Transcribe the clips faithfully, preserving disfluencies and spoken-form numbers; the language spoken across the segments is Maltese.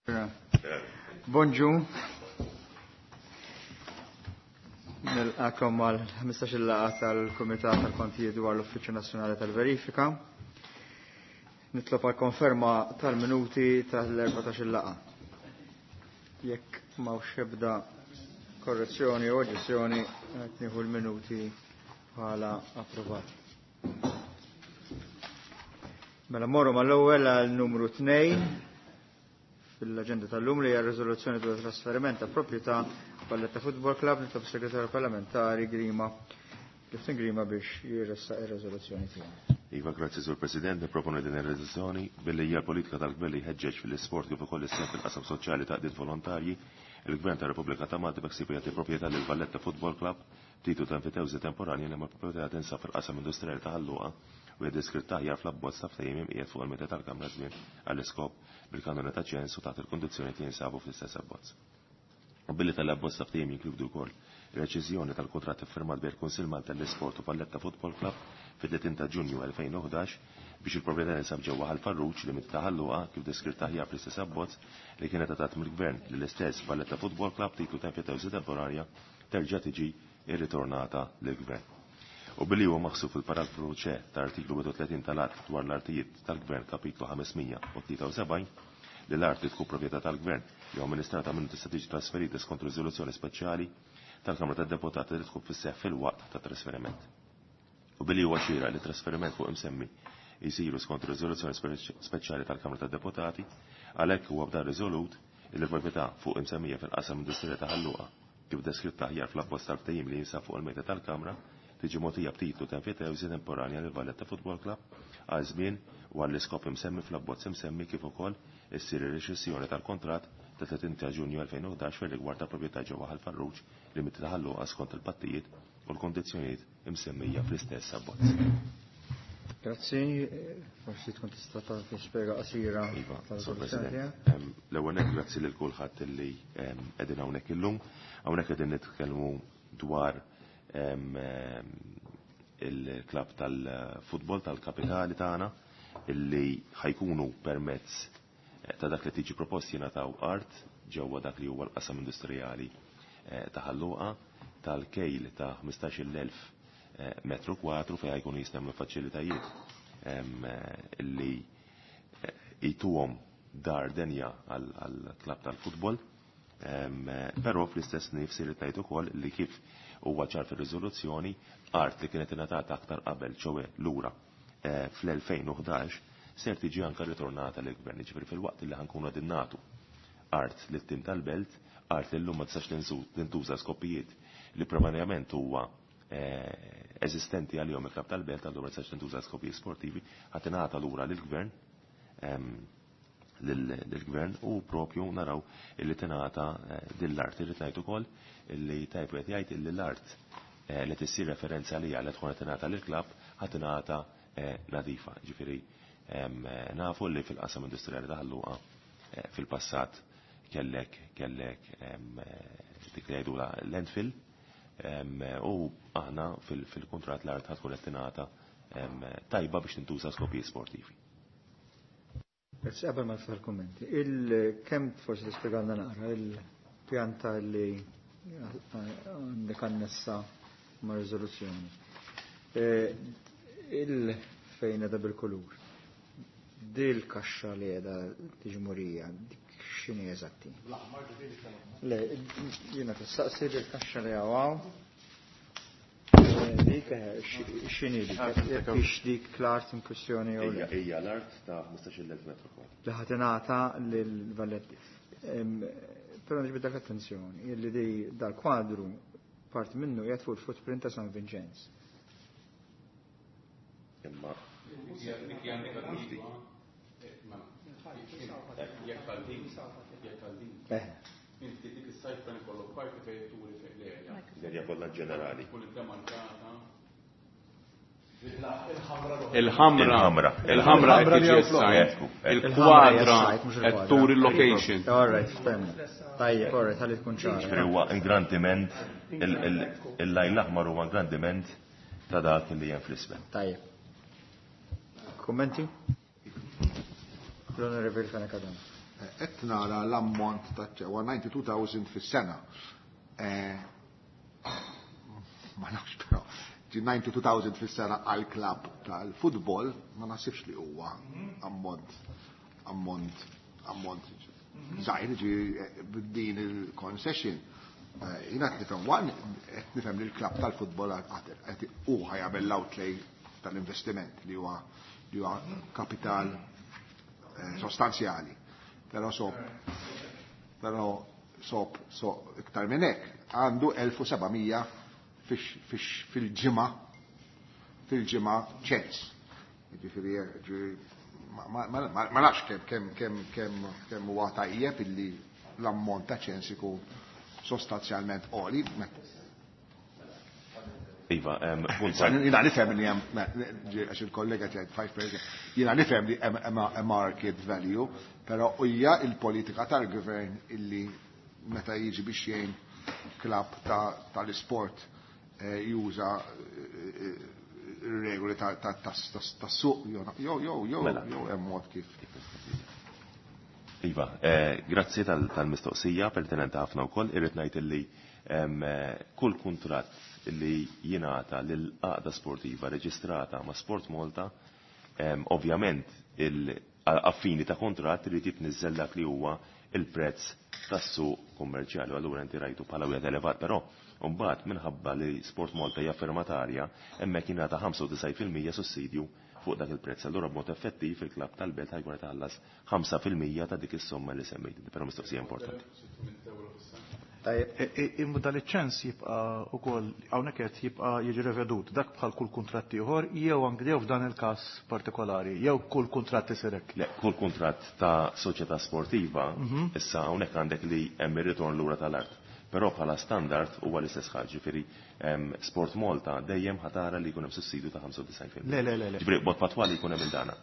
Bonġu. Nilqakom għal ħmistax-il laqgħa tal-Kumitat tal-Kontijiet dwar l-Uffiċċju Nazzjonali tal-Verifika. Nitlob għal konferma tal-minuti tal-erbatax-il laqgħa. Jekk m'hawnx ebda korrezzjoni u oġġezzjoni, qed nieħu l-minuti bħala approvati. Mela morru mal-ewwel għal numru tnejn fil-aġenda tal-lum li hija riżoluzzjoni dwar trasferiment ta' proprjetà Valletta Football Club. Nitlob segretarju parlamentari Grima, Clifton Grima, biex jirressaq ir-riżoluzzjoni tiegħu. Iva, grazzi, Sur President. Niproponi din ir-riżoluzzjoni billi hija politika tal-Gvern li jħeġġeġ fil-isport kif ukoll is-sehem fil-qasam soċjali ta' għaqdiet volontarji. Il-Gvern ta' Repubblika ta' Malta beħsiebu jagħti proprjetà lil Valletta Football Club titlu ta' enfitewżi temporanja li ma' proprjetà tinsab fil-qasam industrijali ta' Ħal Luqa u hija deskritta aħjar fl-abbozz ta' ftehim imqiegħed fuq il-mejda tal-Kamra żmien għall-iskop bil-kanuni ta' ċens u taħt il-kundizzjoni li jinsabu fl-istess abbozz. U billi tal-abbozz ta' ftehim jinkludu wkoll ir-reċiżjoni tal-kuntratt iffirmat bejn il-Kunsill Malta l-Isport u Valletta Football Club fit-tletin ta' Ġunju elfejn u ħdax biex il-proprjetà tinsab ġewwa Ħal Farruġ li mit ta' Ħal Luqa kif deskritta aħjar fl-istess abbozz li kienet għatat mill-Gvern lill-istess Valletta Football Club titlu ta' enfitewżi temporarja terġa' tiġi irritornata lill-Gvern. U billi huwa maħsub fil-paragrafu C ta' artiklu wieħed u tletin tal-Att dwar l-artijiet tal-Gvern kapitlu ħames mija u tlieta u sebgħin li l-art li tkun proprjetà tal-Gvern jew amministrata minnu tista' tiġi trasferita skont riżoluzzjoni speċjali tal-Kamra tad-Deputati li tkun fis-seħħ fil-waqt ta' trasferiment. U billi huwa xieraq li trasferiment fuq imsemmi jsiru skont riżoluzzjoni speċjali tal-Kamra tad-Deputati, għalhekk huwa b'dan riżolut li l-proprjetà fuq imsemmija fil-qasam industrijali ta' Ħal Luqa kif deskritta aħjar fl-abbozz tal-ftehim li jinsab fuq il-mejda tal-Kamra tiġi mogħtija b'titlu ta' enfitewżi temporanja lil Valletta Football Club għal żmien u għall-iskop imsemmi fl-abbozz imsemmi kif ukoll issir ir-reċessjoni tal-kontratt ta' tletin ta' Ġunju elfejn u ħdax fir-rigward ta' proprjetà ġewwa Ħal Farruġ li mit ta' Ħal Luqa skont il-pattijiet u l-kondizzjonijiet imsemmija fl-istess abbozz. Grazzi, forsi tkun tista' tagħti spjega qasira Iva, tal-riżoluzzjoni Sur President. tiegħek. Em, l-ewwel nett grazzi lil kulħadd illi, em, qegħdin hawnhekk illum. Hawnhekk qegħdin nitkellmu dwar, em, em, il-klab tal-futbol tal-kapitali tagħna illi ħajkunu permezz ta' dak li tiġi proposti jingħataw art ġewwa dak li huwa l-qasam industrijali, eh, ta' Ħal Luqa tal-kejl ta' ħmistax-il elf, eh, metru kwadru fejn ħajkunu jistgħu faċilitajiet, em, eh, illi, eh, jituhom dar denja għal-klab tal-futbol. Em, eh, però fl-istess nifsi li tajt ukoll li kif huwa ċar fir-riżoluzzjoni art li kienet ingħatata aktar qabel ċowe lura, eh, fl-elfejn u ħdax ser tiġi anka ritornata lill-gvern. Ġifieri fil-waqt li ħankunu qegħdin nagħtu art lit-tim tal-belt, art li llum ma tistax tinżu-, tintuża skopijiet li primarjament huwa, eh, eżistenti għalihom il-klab tal-belt, allura ma tistax tintuża skopijiet sportivi, ħadd ingħata lura lill-gvern, em, lill-gvern u propju naraw illi tingħata, eh, din l-art. Irrid ngħid ukoll illi tajb qed jgħid illi l-art, eh, li tissir referenza għalija li tkun qed tingħata lill-klabb ħadd tingħata, eh, nadifa. Ġifieri, em, eh, nafu li fil-qasam industrijali ta' Ħal Luqa, eh, fil-passat kellek, kellek, em, eh, dik li jgħidula landfill, em, u aħna fil-, fil-kuntratt l-art ħad tkun qed tingħata, em, tajba biex tintuża skopijiet sportivi. Grazzi, qabel ma niftaħ il-kummenti. Il-kemm forsi tispjegalna naqra il-pjanta li għandek annessa ma' riżoluzzjoni. Eh, il-fejn edha bil-kulur. Dil kaxxa li edha tiġi murija, dik x'inhi eżatti? Le, jiena tistaqsi dil kaxxa li hawn. Dik, eh, x'inhi dik? Jekk hix dik l-art in kwestjoni jew le? Ija, ija l-art ta' ħmistax-il elf metru kwadru. Li ħadd ingħata lil Valletti. Em, Però niġbidlek l-attenzjoni illi di dal-kwadru parti minnu qiegħed fuq il-footprint ta' San Vincenz. Imma Dik hija negattiva. Jekk għal din, jekk għal din. Eh. Inti dik is-site plan ikollok parti fejn turi fejn l-erja. L-erja kollha ġenerali. Tkun iddemarkata. Il-ħamra. Il-ħamra. Il-ħamra qed tiġi Il-ħamra s-sajt. Il-ħamra Il-kwadra hija s-sajt, mhux qed il-kwadra. turi l-location. All right, ftemna. Tajjeb, all right, ħalli tkun ċara. Ġifieri huwa ingrandiment, il-lajn l-aħmar huwa ingrandiment ta' dak li hemm fl-isfel. Tajjeb. Kummenti? L-Onorevoli Fenech Adami. Qed nara l-ammont ta' ċewa ninety-two thousand fis-sena. Eh, ma nafx, però ġi ninety-two thousand fis-sena għal klabb tal-futbol ma naħsibx li huwa ammont ammont ammont żgħir. Ġi b'din il-concession eh, jiena qed nifhem one qed nifhem li l-klabb tal-futbol qed hu ħa jagħmel l-outlay tal-investiment li huwa li huwa kapital eh, sostanzjali. Però sob però sob so iktar minn hekk għandu elf u seba' mija fil-ġimgħa fil-ġimgħa ċens. Ġifieri ma ma nafx kemm kemm kemm kemm kemm huwa tajjeb illi l-ammont ta' ċens ikun sostanzjalment għoli. Iva, punt Jiena nifhem li hemm, għax il-kollega tiegħi five percent, jiena nifhem li hemm a market value, però hija il-politika tal-gvern illi meta jiġi biex jgħin klabb tal-isport eh, juża eh, regoli tas-suq jew jew jew Mela. jew hemm mod kif. Iva, eh, grazzi tal-mistoqsija, pertinenti ħafna wkoll. Irrid ngħid illi em, eh, kull kuntratt li jingħata lil għaqda sportiva reġistrata ma' Sport Malta, em, ovvjament il-affini ta' kuntratt irid jitniżżel dak li huwa il-prezz tas-suq kummerċjali. Allura inti rajtu bħala wieħed elevat, però mbagħad minħabba li Sport Malta hija firmatarja, hemmhekk jingħata ħamsa u disgħin fil-mija sussidju fuq dak il-prezz. Allura b'mod effettiv il-klabb tal-belt ħa jkun qed iħallas ħamsa fil-mija ta' dik is-somma li semmejt. Però mistoqsija importanti. Tajjeb. Imma dal-ċens jibqa' ukoll hawnhekk qed jibqa' jiġi revedut dak bħal kull kuntratt ieħor jew anke jew f'dan il-każ partikolari jew kull kuntratt isir hekk? Le, kull kuntratt ta' soċjetà sportiva, issa hawnhekk għandek li hemm ir-ritorn lura tal-art. Però bħala standard huwa l-istess ħaġa, ġifieri em, Sport Malta dejjem ħa tara li jkun hemm sussidju ta' ħamsa u disgħin fil-mija. Le, le, le, le. Ġifieri b'mod patwali jkun hemm il-dana.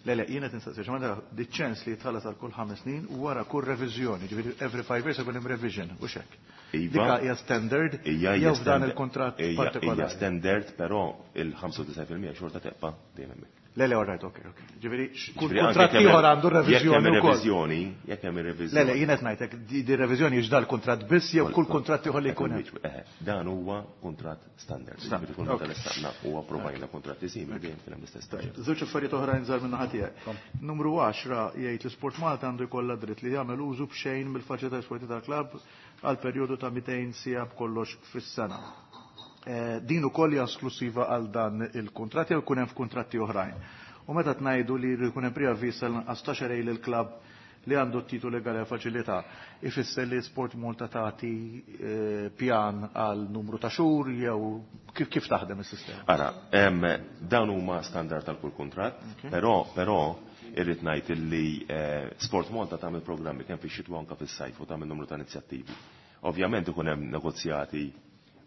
Le, le, jiena tinsaqsi, x'ma di ċens li jitħallas għal kull ħames snin u wara kull reviżjoni, ġifieri every five years ikun hemm revision, u xek. Iva. Dika hija standard Ija jew f'dan il-kuntratt hija hija partikolari? Standard, però il-ħamsa u disgħin fil-mija xorta tibqa' dejjem hemmhekk. Le, le, all right, ok, ok. Ġifieri kull Ġifieri anke kuntratt jekk hemm- ieħor għandu jekk hemm reviżjoni wkoll. reviżjoni, jekk hemm reviżjoni. Le, le, jiena qed ngħidlek di di reviżjoni hix dal-kuntratt biss jew kull kuntratt ieħor li jkun hemm? Eh, Dan huwa kuntratt standard. Standard, Ġifieri kull meta ok. l-istanna huwa approvajna kuntratti simili, dejjem kien hemm l-istess proċess. Żewġ affarijiet oħrajn żgħar minn naħa tiegħek. Numru għaxra jgħid li Sport Malta għandu jkollha dritt li jagħmel użu b'xejn mill-faċilità sportiva tal-klabb għal perjodu ta' mitejn siegħa b'kollox fis-sena. Eh, Din ukoll hija esklusiva għal dan il-kuntratt jew jkun hemm f'kuntratti oħrajn? U meta tgħidu li jkun hemm preavviż għal xahrejn lill-klabb li għandu t-titolu legali għal faċilità, ifisser li Sport Malta tagħti eh, pjan għal numru ta' xhur jew kif kif taħdem is-sistema? Ara, em, dawn huma standard tal kull kuntratt, però però irrid ngħid illi eh, Sport Malta tagħmel programmi kemm fix-xitwa anke fis-sajf u tagħmel numru ta' inizjattivi. Ovvjament ikun hemm negozjati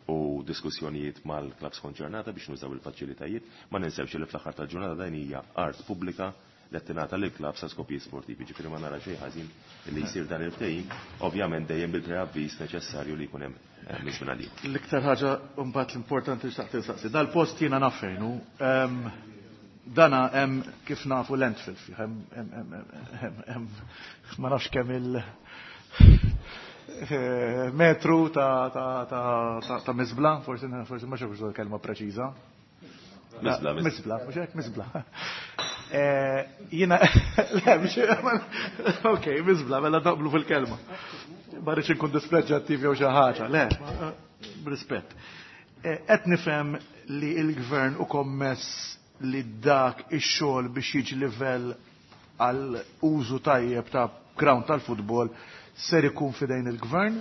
u diskussjonijiet mal-klabs konċernata biex nużaw il-faċilitajiet, ma ninsewx li fl-aħħar tal-ġurnata dan hija art pubblika li tingħata lil klabb sa skopijiet sportivi. Ġifieri ma nara xejn ħażin li jsir dan il-ftehim, ovvjament dejjem bil-preavviż neċessarju li jkun hemm eh, minn żmien għal ieħor. L-iktar ħaġa mbagħad l-importanti li xtaqt insaqsi. Dal-post jiena naf fejn hu. Ehm, Dana hemm kif nafu landfill fih, hemm hemm hemm hemm hemm ma nafx kemm il eh, metru ta' ta' ta' ta' ta' miżbla, forsi forsi ma xafx kelma preċiża. Miżbla, miżbla. Miżbla, mhux hekk, miżbla. Eh, Jiena, le, mhux, ok, miżbla, mela naqblu fil-kelma. Ma rridx inkun dispreġġattiv jew xi ħaġa, le, b'rispett. Eh, Qed nifhem li l-gvern u kommess li dak ix-xogħol biex jiġi livell għal użu tajjeb ta' ground tal-futbol ser ikun fidejn il-gvern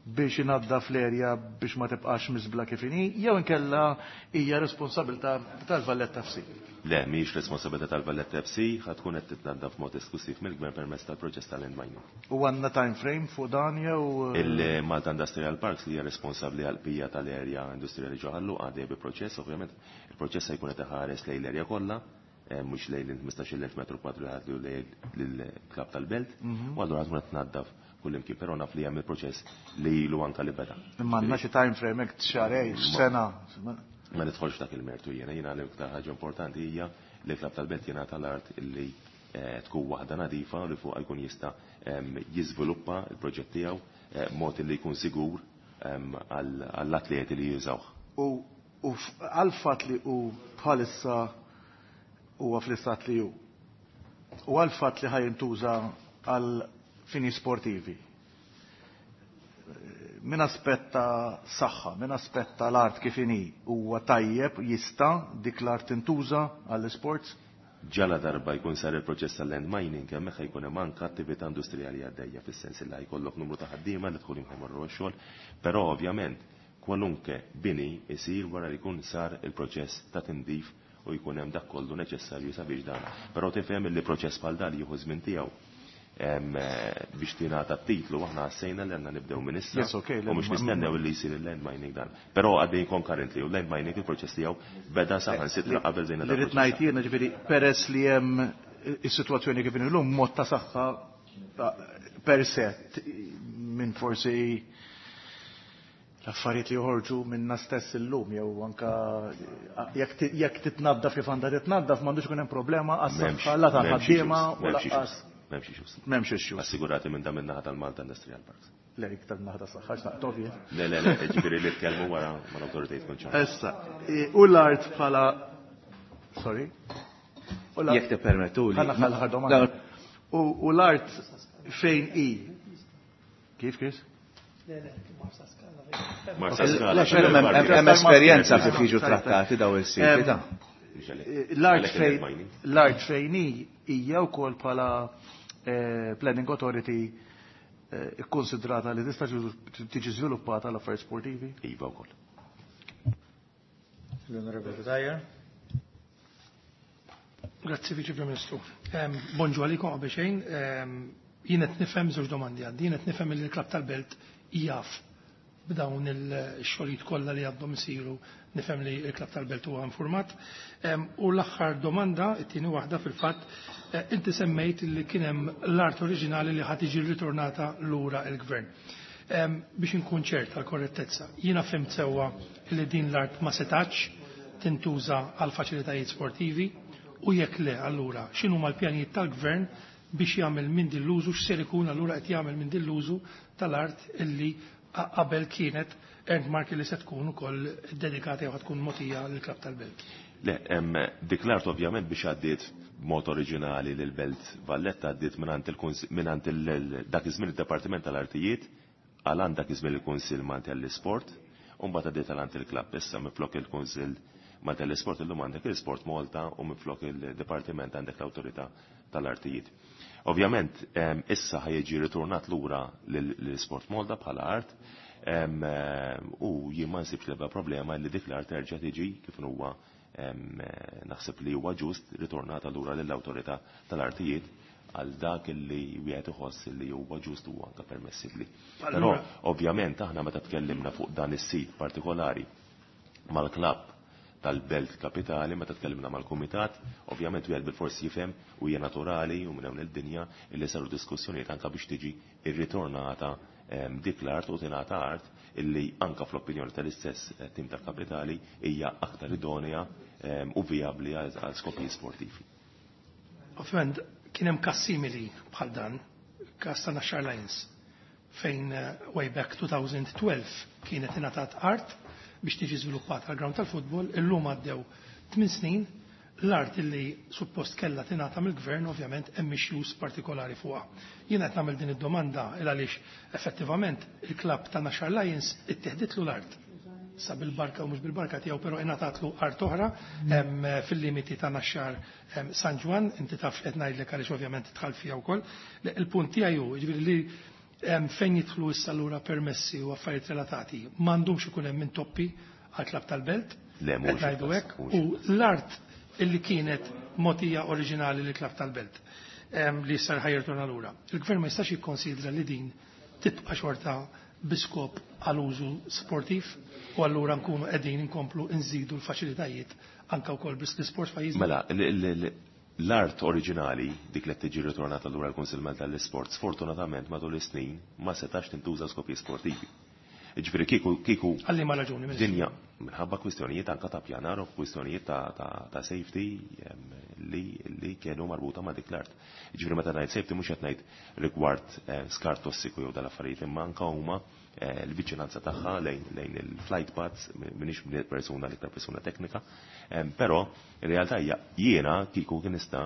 biex inaddaf l-erja biex ma tibqax miżbla kif inhi, jew inkella hija responsabilità tal-Valletta F C? Le, mhijiex responsabilità tal-Valletta F C, ħa tkun qed titnaddaf mod esklusiv mill-gvern permezz tal-proċess tal-land mining. U għandna time frame fuq dan jew? Il-Malta Industrial Parks li hija responsabbli għal pija tal-erja industrijali ġo Ħal Luqa għaddej bi proċess, ovvjament il-proċess se jkun qed iħares lejn l-erja kollha, eh, mhux lejn il-ħmistax-il elf metru kwadru li ħadlu lejn lill-klabb tal-belt, u allura tkun qed tnaddaf kull imkien, però naf li hemm il-proċess li ilu anka li beda. Imma għandna xi time frame hekk, xahrejn, sena? Ma nidħolx dak il-mertu jiena, jiena l-iktar ħaġa importanti hija li l-klabb tal-belt jingħata l-art illi eh, tkun waħda nadifa li fuq jkun jista' jiżviluppa l-proġett tiegħu eh, mod li jkun sigur għall-atleti li jużawh. U għal-fatt li hu bħalissa huwa fl-istat li hu. U għal-fatt li ħa jintuża għal fini sportivi. Min aspett ta' saħħa, min aspett ta' l-art kif inhi huwa tajjeb jista' dik l-art tintuża għall-sports? Ġala darba jkun sar il-proċess tal-land mining, hemmhekk jkun hemm anke attività industrijali għaddejja fis-sens li jkollok numru ta' ħaddiema li tkun jmorru għax-xogħol, però ovvjament kwalunke bini isir wara li jkun sar il-proċess ta' tindif u jkun hemm dak kollu neċessarju sabiex dan. Però tifhem li proċess bħal dan jieħu żmien tiegħu biex tingħata t-titlu aħna ħassejna li għandna nibdew minn issa u mhux nistennew li jsir il-land mining dan. Però għaddej concurrently u land mining il-proċess tiegħu beda saħansitra qabel bdejna. Li rrid ngħid jiena ġifieri peress li hemm is-sitwazzjoni kif illum mod ta' saħħa per se minn forsi l-affarijiet li joħorġu minna stess illum jew anka jekk titnaddaf kif għandha titnaddaf m'għandux ikun hemm problema għas-saħħa la tal-ħaddiema u lanqas. M'hemmx issues. M'hemmx issues. Assigurati minn dan min-naħa tal-Malta Industrial Parks. Le, iktar naħa tas-saħħa x'naqtof jien. Le, le, le, ġifieri li tkellmu wara mal-awtoritajiet konċernati. Issa, u l-art bħala sorry. Jekk tippermettuli. Ħa l-aħħar domanda. U l-art fejn hi? Kif Chris? Le, le, Marsa Skala. Marsa Skala. Hemm esperjenza kif jiġu trattati daw is-siti ta' L-art fejn l-art fejn hi hija wkoll bħala Planning Authority ikkonsidrata li tista' tiġi żviluppata l-affarijiet sportivi? Iva wkoll. L-Onorevoli Cutajar. Grazzi Viċi Prim Ministru. Bonġu għalikom qabel xejn. Jien qed nifhem żewġ domandi għandi. Jien qed nifhem li l-Klabb tal-Belt jaf b'dawn il-xogħlijiet kollha li għandhom isiru, nifhem li l-Klabb tal-Belt huwa informat. U l-aħħar domanda, it-tieni waħda fil-fatt, inti semmejt li kien hemm l-art oriġinali li ħad tiġi ritornata lura l-gvern. Biex inkun ċert għal korrettezza, jiena fhimt sewwa li din l-art ma setax tintuża għal faċilitajiet sportivi u jekk le allura x'inhuma l-pjanijiet tal-gvern biex jagħmel minn din l-użu, x'ser ikun allura qed jagħmel minn din l-użu tal-art illi qabel kienet earmark li se tkun ukoll dedikata jew tkun mogħtija lill-Klabb tal-Belt. Le, dik l-art ovvjament biex għaddiet b'mod oriġinali lil Belt Valletta għaddiet mingħand dak iż-żmien id-Dipartiment tal-Artijiet għal għand dak iż-żmien il-Kunsill Malti għall-Isport u mbagħad għaddiet għal għand il-klabb. Issa minflok il-Kunsill Malti għall-Isport illum għandek il-Sport Malta u minflok il-Dipartiment għandek l-Awtorità tal-Artijiet. Ovvjament issa ħa jiġi ritornat lura lill-Sport Malta bħala art u jien ma nsibx l-ebda problema li dik l-art terġa' tiġi kif huwa naħseb li huwa ġust ritornata lura lill-Awtorità tal-Artijiet għal dak li wieħed iħoss li huwa ġust u anke permessibbli. Però ovvjament aħna meta tkellimna fuq dan is-sit partikolari mal-klabb tal-Belt Kapitali, meta tkellimna mal-Kumitat, ovvjament wieħed bil-forsi jifhem u hija naturali u minn hawn id-dinja illi saru diskussjonijiet anke biex tiġi rritornata dik l-art u tingħata art illi anke fl-opinjoni tal-istess tim tal-Kapitali hija aktar idonea u vijabbli għal skopijiet sportivi. Ovvjament kien hemm każ simili bħal dan, każ ta' Naxxar Lions, fejn way back twenty twelve kienet ingħatat art biex tiġi żviluppata għal ground tal-futbol, illum għaddew tmien snin, l-art illi suppost kellha tingħata mill-gvern ovvjament hemm issues partikolari fuqha. Jiena qed nagħmel din id-domanda il għaliex effettivament il-klabb ta' Naxxar Lions ittieħditlu l-art. Sa bil-barka u mhux bil-barka tiegħu, però ingħatatlu art oħra fil-limiti ta' Naxxar San Ġwann, inti taf qed ngħidlek għaliex ovvjament tidħal fiha wkoll. Il-punt tiegħi hu, jiġifieri li fejn jidħlu issa lura permessi u affarijiet relatati, m'għandhomx ikun hemm intoppi għall-klabb tal-Belt, Le, mhux qed ngħidu il-każ, hekk, mhux u il-każ. l-art illi kienet mogħtija oriġinali lill-klabb tal-Belt li issa ħa jirtorna lura. Il-gvern ma jistax jikkonsidra li din tibqa' xorta biskop għal użu sportiv u allura nkunu qegħdin inkomplu nżidu l-faċilitajiet anke wkoll biss l-isport f'pajjiżna. Mela, l-art oriġinali dik li tiġi ritornata lura l-Kunsill Malta tal-Isport sfortunatament matul is-snin ma setax tintuża skopijiet sportivi. Ġifieri kieku kieku Għal liema raġuni, Ministru? Dinja minħabba kwistjonijiet anka ta' pjanar u kwistjonijiet ta', ta, ta' safety em, li, li kienu marbuta ma' dik l-art. Ġifieri meta ngħid safety mhux qed ngħid rigward eh, skart tossiku jew dal-affarijiet, imma anka huma eh, l-viċinanza tagħha lejn, lejn il-flight paths, m'iniex persuna l-iktar persuna teknika, em, però in realtà hija jiena kieku kien nista'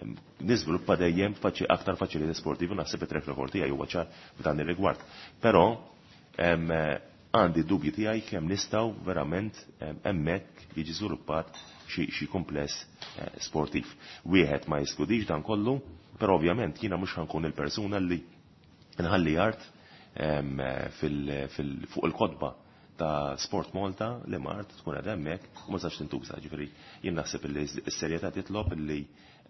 em, niżviluppa dejjem faċi aktar faċilitajiet sportivi, naħseb it-track record tiegħi huwa ċar f'dan ir-rigward. Però em, għandi dubji tiegħi kemm nistgħu verament em, hemmhekk jiġi żviluppat xi xi kumpless eh, sportiv. Wieħed ma jeskludix dan kollu, però ovvjament jiena mhux ħa nkun il-persuna li nħalli art em, fil, fil, fuq il-kotba ta' Sport Malta li art tkun għad hemmhekk u ma sax tintuża. Ġifieri jien naħseb li s-serjetà titlob li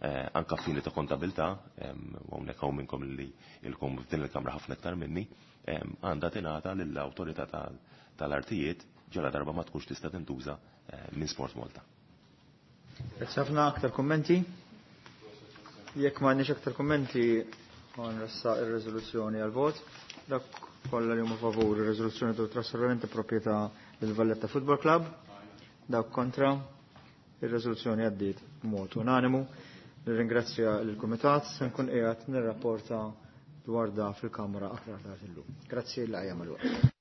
eh, anka fini ta' kontabilità, em, u hawnhekk hawn minnkom li ilkom f'din il-kamra ħafna iktar minni, em, għandha tingħata lill-awtorità tal- tal-artijiet ġala darba ma tkunx tista' tintuża eh, minn Sport Malta. Grazzi ħafna. Aktar kummenti? Jekk m'għandniex aktar kummenti, nressaq ir-riżoluzzjoni għal vot. Dak kollha li huma favur ir-riżoluzzjoni dwar trasferiment ta' proprjetà lil Valletta Football Club. Dak kontra, ir-riżoluzzjoni għaddiet b'mod unanimu. Nirringrazzja lill-Kumitat, se nkun qiegħed nirrapporta dwar da fil-Kamra aktar tard illum. Grazzi, l-għajja mal